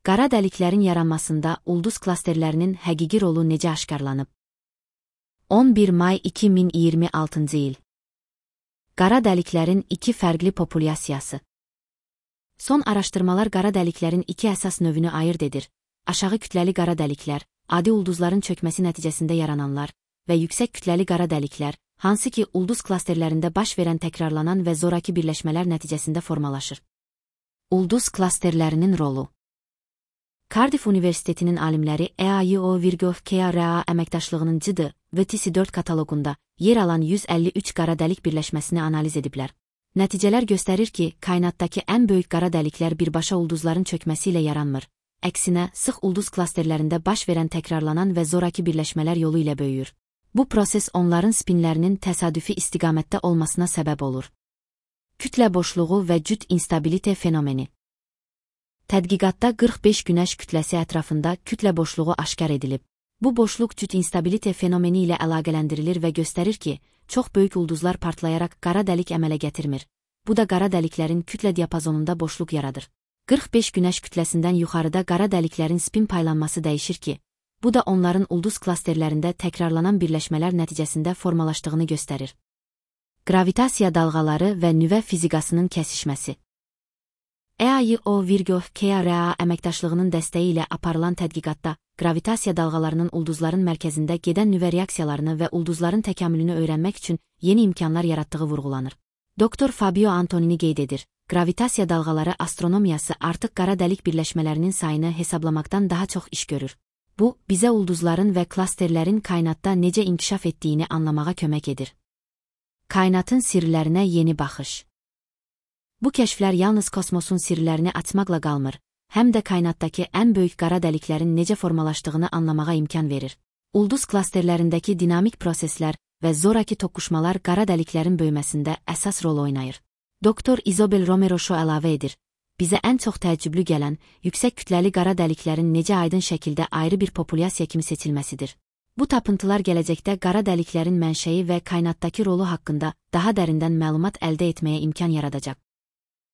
Qara dəliklərin yaranmasında ulduz klasterlərinin həqiqi rolu necə aşkarlanıb? 11 may 2026 il. Qara dəliklərin iki fərqli populyasiyası. Son araşdırmalar qara dəliklərin iki əsas növünü ayırd edir. Aşağı kütləli qara dəliklər, adi ulduzların çökməsi nəticəsində yarananlar və yüksək kütləli qara dəliklər, hansı ki ulduz klasterlərində baş verən təkrarlanan və zoraki birləşmələr nəticəsində formalaşır. Ulduz klasterlərinin rolu. Cardiff Universitetinin alimləri EAIO-KRA əməkdaşlığının CD və TC4 kataloqunda yer alan 153 qara dəlik birləşməsini analiz ediblər. Nəticələr göstərir ki, kainatdakı ən böyük qara dəliklər birbaşa ulduzların çökməsi ilə yaranmır. Əksinə, sıx ulduz klasterlərində baş verən təkrarlanan və zoraki birləşmələr yolu ilə böyüyür. Bu proses onların spinlərinin təsadüfi istiqamətdə olmasına səbəb olur. Kütlə boşluğu və cüt instabilite fenomeni. Tədqiqatda 45 günəş kütləsi ətrafında kütlə boşluğu aşkar edilib. Bu boşluq cüt instabilite fenomeni ilə əlaqələndirilir və göstərir ki, çox böyük ulduzlar partlayaraq qara dəlik əmələ gətirmir. Bu da qara dəliklərin kütlə diapazonunda boşluq yaradır. 45 günəş kütləsindən yuxarıda qara dəliklərin spin paylanması dəyişir ki, bu da onların ulduz klasterlərində təkrarlanan birləşmələr nəticəsində formalaşdığını göstərir. Gravitasiya dalğaları və nüvə fizikasının kəsişməsi. EAIO-KRA əməkdaşlığının dəstəyi ilə aparılan tədqiqatda gravitasiya dalğalarının ulduzların mərkəzində gedən nüvə reaksiyalarını və ulduzların təkamülünü öyrənmək üçün yeni imkanlar yaratdığı vurğulanır. Dr. Fabio Antonini qeyd edir, gravitasiya dalğaları astronomiyası artıq qara dəlik birləşmələrinin sayını hesablamaqdan daha çox iş görür. Bu, bizə ulduzların və klasterlərin kainatda necə inkişaf etdiyini anlamağa kömək edir. Kainatın sirlərinə yeni baxış. Bu kəşflər yalnız kosmosun sirlərini açmaqla qalmır, həm də kainatdakı ən böyük qara dəliklərin necə formalaşdığını anlamağa imkan verir. Ulduz klasterlərindəki dinamik proseslər və zoraki toqquşmalar qara dəliklərin böyüməsində əsas rol oynayır. Dr. Isabel Romero Shaw əlavə edir, bizə ən çox təəccüblü gələn, yüksək kütləli qara dəliklərin necə aydın şəkildə ayrı bir populyasiya kimi seçilməsidir. Bu tapıntılar gələcəkdə qara dəliklərin mənşəyi və kainatdakı rolu haqqında daha dərindən məlumat əldə etməyə imkan yaradacaq.